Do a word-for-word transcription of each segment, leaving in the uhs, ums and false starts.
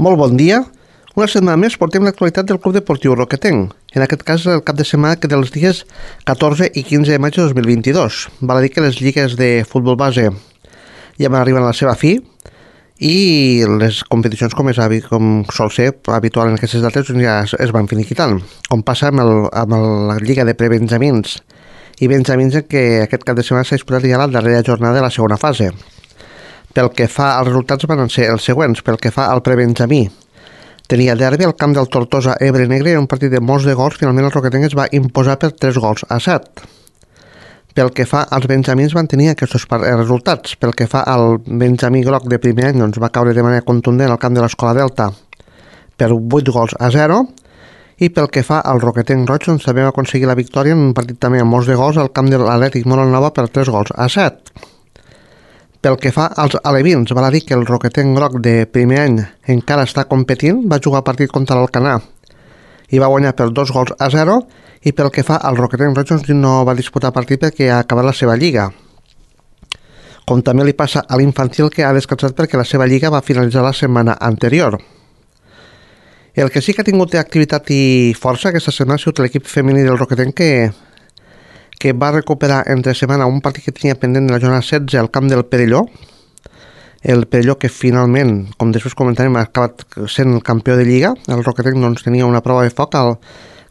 Molt bon dia. Una setmana més portem l'actualitat del Club Deportiu Roquetenc. En aquest cas, el cap de setmana que dels dies catorze i quinze de maig de dos mil vint-i-dos. Val a dir que les lligues de futbol base ja van arribar a la seva fi i les competicions, com, és, com sol ser habitual en aquestes dates, ja es, es van finiquitant. Com passa amb, el, amb el, la lliga de prebenjamins i benjamins, en què aquest cap de setmana s'ha disputat ja la darrera jornada de la segona fase. Pel que fa als resultats van ser els següents. Pel que fa al prebenjamí, tenia derbi al camp del Tortosa Ebre Negre en un partit de molts de gols. Finalment el Roquetenc es va imposar per tres gols a set. Pel que fa als benjamins van tenir aquests resultats. Pel que fa al benjamí groc de primer any, doncs va caure de manera contundent al camp de l'Escola Delta per vuit gols a zero. I pel que fa al Roquetenc roig, doncs també va aconseguir la victòria en un partit també amb molts de gols al camp de l'Atlètic Molanova per tres gols a set. Pel que fa als alevins, val a dir que el Roquetenc groc de primer any encara està competint, va jugar partit contra l'Alcanar i va guanyar per dos gols a zero, i pel que fa al Roquetenc roig doncs no va disputar partit perquè ha acabat la seva lliga. Com també li passa a l'infantil, que ha descansat perquè la seva lliga va finalitzar la setmana anterior. El que sí que ha tingut activitat i força aquesta setmana ha sigut l'equip femení del Roquetenc, que que va recuperar entre setmana un partit que tenia pendent de la jornada setze al camp del Perelló. El Perelló, que finalment, com després comentarem, ha acabat sent el campió de Lliga. El Roquetenc doncs, tenia una prova de foc al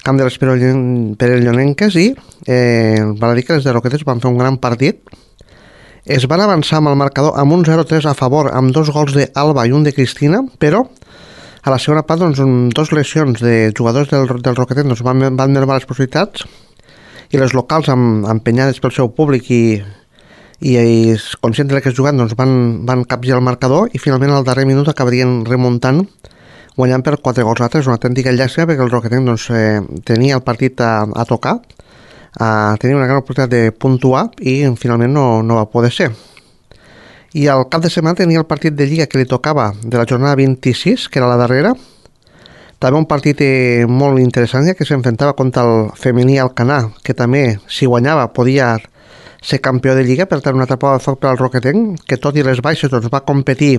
camp de les perellonenques i eh, val a dir que les de Roquetes van fer un gran partit. Es van avançar amb el marcador amb un zero tres a favor, amb dos gols d'Alba i un de Cristina, però a la segona part, doncs, dos lesions de jugadors del, del Roquetenc doncs, van, van mermar les possibilitats, i les locals amb, empenyades pel seu públic i, i, i conscients que es jugant doncs van, van capgirar el marcador, i finalment al darrer minut acabarien remuntant, guanyant per quatre gols a tres. Una autèntica llàstima perquè el Roquetenc doncs, eh, tenia el partit a, a tocar, a, tenia una gran oportunitat de puntuar i finalment no, no va poder ser. I al cap de setmana tenia el partit de Lliga que li tocava de la jornada vint-i-sis, que era la darrera. També un partit eh, molt interessant, ja que s'enfrontava contra el femení Alcanar, que també, si guanyava, podia ser campió de Lliga. Per tant, una altra prova de foc per al Roquetenc, que tot i les baixes doncs, va competir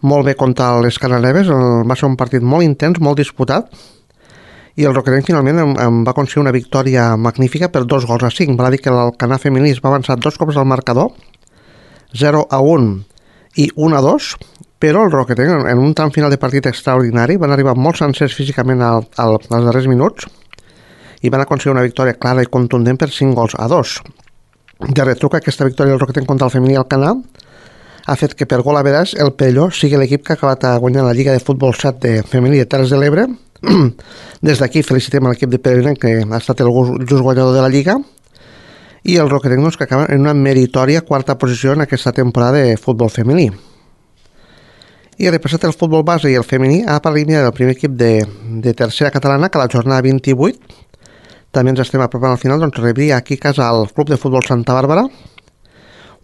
molt bé contra les cananeves. Va ser un partit molt intens, molt disputat, i el Roquetenc finalment em, em va aconseguir una victòria magnífica per dos gols a cinc. Va dir que l'Alcanar femení es va avançar dos cops al marcador, zero a un i un a dos, però el Roquetenc, en un tram final de partit extraordinari, van arribar molt sencers físicament al, al, als darrers minuts i van aconseguir una victòria clara i contundent per cinc gols a dos. De retruc, aquesta victòria del Roquetenc contra el femení Alcanar ha fet que per gol a veràs el Perelló sigui l'equip que ha acabat guanyant la Lliga de Futbol set de femení de Terres de l'Ebre. Des d'aquí felicitem a l'equip de Perelló, que ha estat el just guanyador de la Lliga, i el Roquetenc doncs, que acaba en una meritòria quarta posició en aquesta temporada de futbol femení. I repassat el futbol base i el femení, a part del primer equip de, de tercera catalana, que a la jornada vint-i-vuit, també ens estem apropant al final, doncs rebria aquí a casa el Club de Futbol Santa Bàrbara,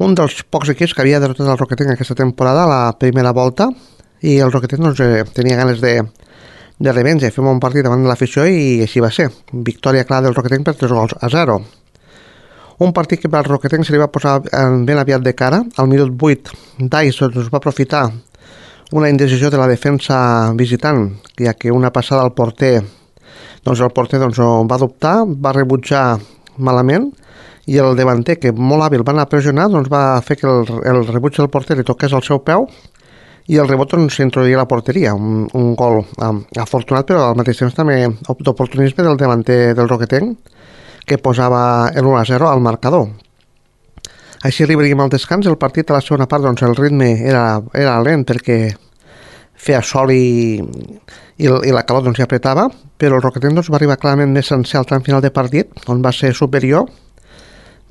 un dels pocs equips que havia derrotat el Roquetenc aquesta temporada a la primera volta, i el Roquetenc doncs, eh, tenia ganes de, de revenja, fem un partit davant de l'afició, i així va ser. Victòria clara del Roquetenc per tres gols a zero. Un partit que per al Roquetenc se li va posar ben aviat de cara. Al minut vuit, Dais doncs, va aprofitar una indecisió de la defensa visitant, ja que una passada al porter, doncs el porter doncs, va dubtar, va rebutjar malament, i el davanter, que molt hàbil va anar a pressionar, doncs va fer que el, el rebuig del porter li toqués al seu peu, i el rebot doncs, s'introduïa a la porteria. Un, un gol um, afortunat, però al mateix temps també d'oportunisme del davanter del Roquetenc, que posava el un a zero al marcador. Així arribaríem al descans. El partit a la segona part, doncs el ritme era, era lent perquè feia sol i, i, i la calor doncs, ja apretava, però el Roquetenc doncs, va arribar clarament més sencer al tram final de partit, on va ser superior,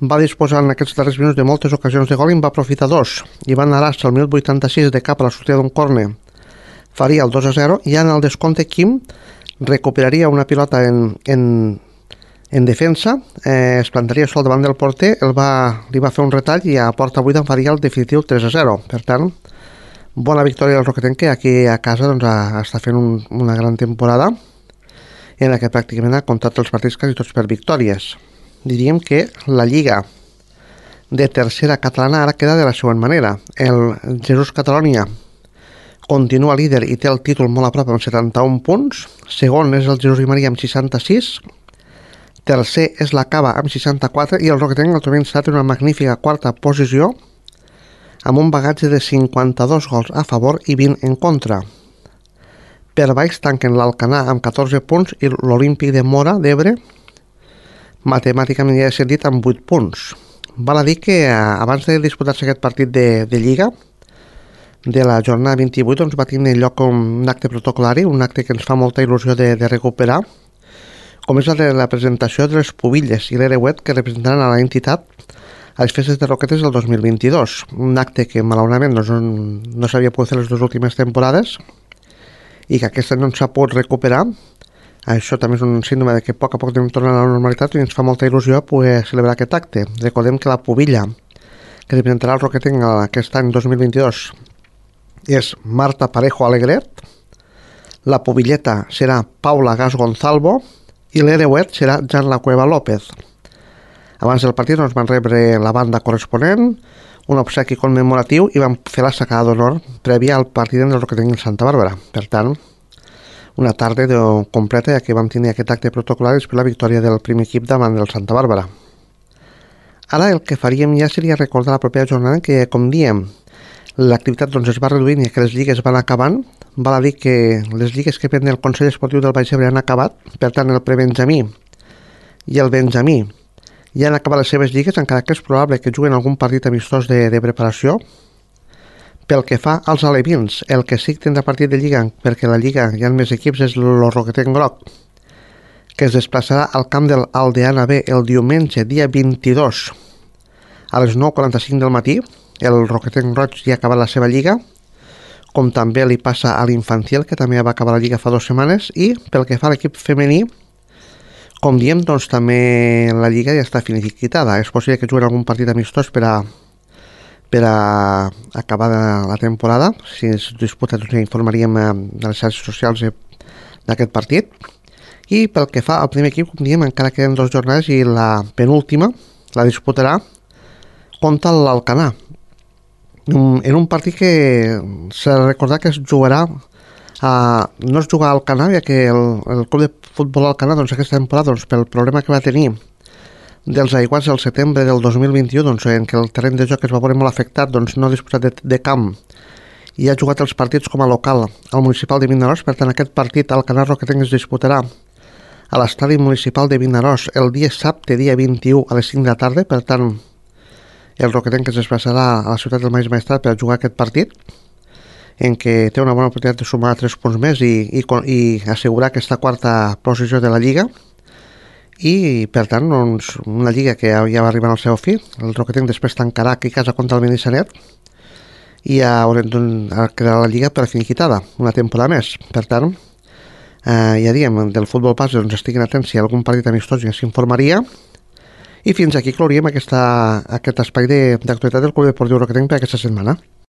va disposar en aquests darrers minuts de moltes ocasions de gol i en va aprofitar dos, i va anar al minut vuitanta-sis de cap a la sortida d'un córner, faria el dos a zero, i en el descompte Quim recuperaria una pilota en, en En defensa, eh, es plantaria sol davant del porter, el va, li va fer un retall i a porta buida en faria el definitiu tres a zero. Per tant, bona victòria del Roquetenc, que aquí a casa doncs, a, està fent un, una gran temporada en la que pràcticament ha comptat els partits quasi tots per victòries. Diríem que la Lliga de tercera catalana ara queda de la següent manera. El Jesús Catalonia continua líder i té el títol molt a prop amb setanta-un punts. Segon és el Jesús i Maria amb seixanta-sis. Tercer és la Cava amb seixanta-quatre i el Roquetenc el trobem instal·lat en una magnífica quarta posició amb un bagatge de cinquanta-dos gols a favor i vint en contra. Per baix tanquen l'Alcanar amb catorze punts i l'Olímpic de Móra d'Ebre matemàticament ja he sentit amb vuit punts. Val a dir que abans de disputar-se aquest partit de, de Lliga de la jornada vint-i-vuit doncs va tenir lloc un acte protocolari, un acte que ens fa molta il·lusió de, de recuperar, com és la de la presentació de les pubilles i l'hereuet que representaran a la entitat a les festes de Roquetes del dos mil vint-i-dos. Un acte que malauradament doncs, no, no s'havia pogut fer les dues últimes temporades i que aquesta no s'ha pogut recuperar. Això també és un síndrome de que a poc a poc anem tornant a la normalitat i ens fa molta il·lusió poder celebrar aquest acte. Recordem que la pubilla que representarà el Roquetenc aquest any dos mil vint-i-dos és Marta Parejo Alegret, la pubilleta serà Paula Gas Gonzalvo i l'hereuet serà Jan La Cueva López. Abans del partit ens van rebre la banda corresponent, un obsequi commemoratiu i van fer la sacada d'honor prèvia al partit del Roquetenc de Santa Bàrbara. Per tant, una tarda de completa ja que vam tenir aquest acte protocolar després la victòria del primer equip davant del Santa Bàrbara. Ara el que faríem ja seria recordar la propera jornada que, com diem, l'activitat doncs, es va reduint i que les lligues van acabant. Val a dir que les lligues que pren el Consell Esportiu del Baix Ebre han acabat, per tant el prebenjamí i el benjamí ja han acabat les seves lligues, encara que és probable que juguen algun partit amistós de, de preparació. Pel que fa als alevins, el que sí que tindrà partit de lliga, perquè la lliga hi ha més equips, és el Roquetenc Groc, que es desplaçarà al camp del Aldeana B el diumenge, dia vint-i-dos, a les nou quaranta-cinc del matí. El Roquetenc Roig ja ha acabat la seva lliga, com també li passa a l'Infantil, que també va acabar la lliga fa dues setmanes, i pel que fa a l'equip femení, com diem, doncs també la lliga ja està finiquitada. És possible que juguen algun partit amistós per a, per a acabar la temporada. Si es disputa, doncs ja informaríem de les xarxes socials d'aquest partit. I pel que fa al primer equip, com diem, encara queden dues jornades i la penúltima la disputarà contra l'Alcanar, en un partit que s'ha de recordar que es jugarà a, no es jugarà al Alcanar, ja que el, el club de futbol Alcanar doncs, aquesta temporada doncs, pel problema que va tenir dels aiguats del setembre del dos mil vint-i-u, doncs, en què el terreny de joc es va veure molt afectat, doncs, no ha disposat de, de camp i ha jugat els partits com a local al municipal de Vinaròs. Per tant, aquest partit Alcanar Roquetenc es disputarà a l'estadi municipal de Vinaròs el dia dissabte, dia vint-i-u a les cinc de la tarda. Per tant, el Roquetenc es desplaçarà a la ciutat del Maig Maestrat per jugar aquest partit, en què té una bona oportunitat de sumar tres punts més i, i, i assegurar aquesta quarta posició de la Lliga. I, per tant, doncs, una Lliga que ja, ja va arribar al seu fi. El Roquetenc després tancarà aquí a casa contra el Benissanet i ja doncs, quedarà la Lliga per finiquitada, una temporada més. Per tant, eh, ja diem, del futbol base doncs, estiguin atents si hi ha algun partit amistós ja s'informaria. I fins aquí clouríem aquesta, aquest espai d'actualitat del Club Deportiu Roquetenc per aquesta setmana.